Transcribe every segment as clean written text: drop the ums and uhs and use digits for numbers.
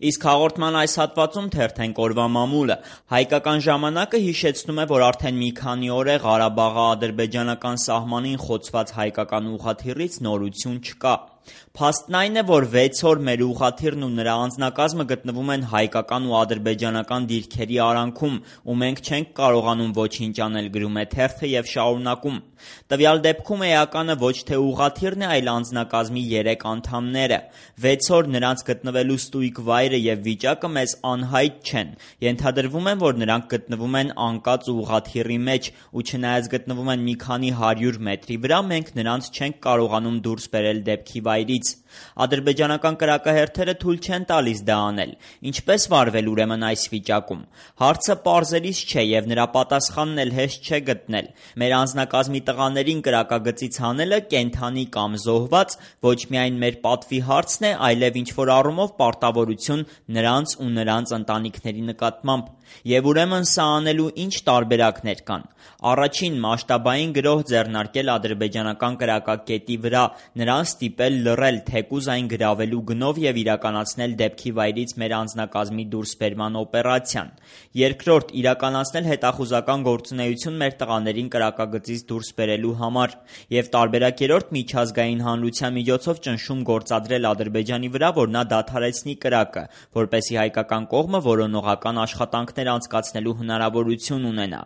Իսկ հաղորդման այս հատվածում թերթենք օրվա մամուլը։ Հայկական ժամանակը հիշեցնում է, որ արդեն մի քանի օր է Ղարաբաղի ադրբեջանական սահմանին խոցված հայկական ուղղաթիռից նորություն չկա։ Փաստն այն է, որ 6 օր մեր ուղղաթիռն ու նրա անձնակազմը գտնվում են հայկական ու ադրբեջանական դիրքերի արանքում, ու մենք չենք կարողանում ոչինչ անել, գրում է թերթը եւ շարունակում. Տվյալ դեպքում էականը ոչ թե ուղղաթիռն է, այլ անձնակազմի 3 անդամները։ 6 օր նրանց գտնվելու ստույգ վայրը եւ վիճակը մեզ անհայտ չեն։ Ենթադրվում է, որ նրանք գտնվում են անկած ուղղաթիռի մեջ, ու չնայած գտնվում են մի քանի 100 մետրի վրա, մենք նրանց չենք կարողանում դուրս բերել դեպքի վայրից։ Ադրբեջանական կրակահերթերը թույլ չեն տալիս դա անել։ Ինչպես վարվել ուրեմն այս վիճակում։ Հարցը պարզելիս չէ եւ նրա պատասխանն էլ հեշտ չէ գտնել։ Մեր անձնակազմի տղաներին կրակագծից հանելը կենդանի կամ զոհված ոչ միայն մեր պատվի հարցն է, այլև ինչ-որ առումով պարտավորություն նրանց ու նրանց ընտանիքների նկատմամբ։ Եվ ուրեմն սա անելու ինչ տարբերակներ կան։ Առաջին՝ մասշտաբային գրոհ ձեռնարկել ադրբեջանական կրակակետի վրա, նրան ստիպել լռել, թեկուզ այն գրավելու գնով եւ իրականացնել դեպքի վայրից մեր անձնակազմի դուրսբերման օպերացիան։ Երկրորդ՝ իրականացնել հետախուզական գործունեություն մեր տղաներին կրակագծից դուրս բերելու համար։ Եվ տարբերակ երրորդ՝ միջազգային հանրության միջոցով ճնշում գործադրել Ադրբեջանի վրա, որ նա դադարեցնի կրակը, որպեսզի հայկական կողմը որոնողական աշխատանքներ անցկացնելու հնարավորություն ունենա։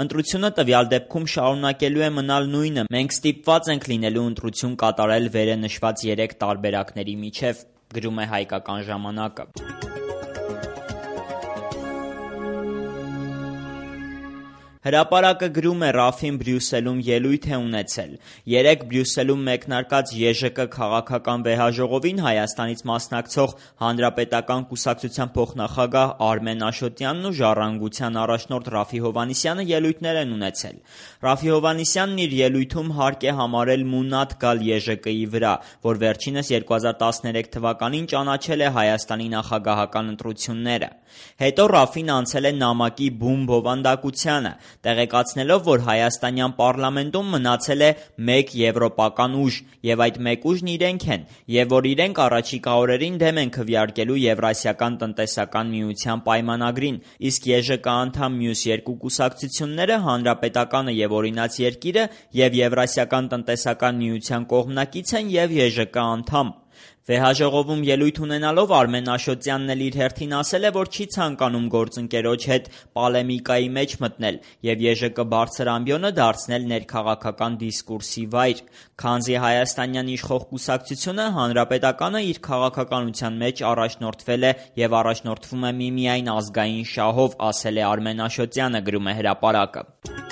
Ընտրությունը տվյալ դեպքում շարունակելու է մնալ նույնը։ Մենք ստիպված ենք լինելու ընտրություն կատարել վերը նշված 3 տարբերակների միջև, գրում է Հայկական ժամանակը։ Հրապարակը գրում է Ռաֆին Բրյուսելում ելույթ է ունեցել։ Երեկ Բրյուսելում մեկնարկած ԵԺԿ քաղաքական վեհաժողովին Հայաստանից մասնակցող Հանրապետական կուսակցության փոխնախագահ Արմեն Աշոտյանն ու Ժառանգության առաջնորդ Ռաֆի Հովհաննիսյանը ելույթներ են ունեցել։ Ռաֆի Հովհաննիսյանն իր ելույթում հարկ է համարել մունատ գալ ԵԺԿ-ի վրա, որ վերջինս 2013 թվականին ճանաչել է Հայաստանի նախագահական ընտրությունները։ Հետո Ռաֆին անցել է նամակի բում բովանդակությանը, տեղեկացնելով, որ հայաստանյան պարլամենտում մնացել է մեկ եվրոպական ուժ, եւ այդ մեկ ուժն իրենք են, եւ որ իրենք առաջիկա օրերին դեմ են քվեարկելու Եվրասիական տնտեսական միության պայմանագրին, իսկ ԵԺԿ անդամ մյուս 2 կուսակցությունները Հանրապետականը եւ Օրինաց երկիրը եւ Եվրասիական տնտեսական միության կողմնակից են եւ ԵԺԿ անդամ։ Վեհաժողովում ելույթ ունենալով Արմեն Աշոտյանն էլ իր հերթին ասել է, որ չի ցանկանում գործընկերոջ հետ պոլեմիկայի մեջ մտնել եւ ԵԺԿ բարձր ամբիոնը դարձնել ներքաղաքական դիսկուրսի վայր, քանզի հայաստանյան իշխող կուսակցությունը Հանրապետականը իր քաղաքականության մեջ առաջնորդվել է եւ առաջնորդվում է միմիայն ազգային շահով, ասել է Արմեն Աշոտյանը, գրում է Հրապարակը։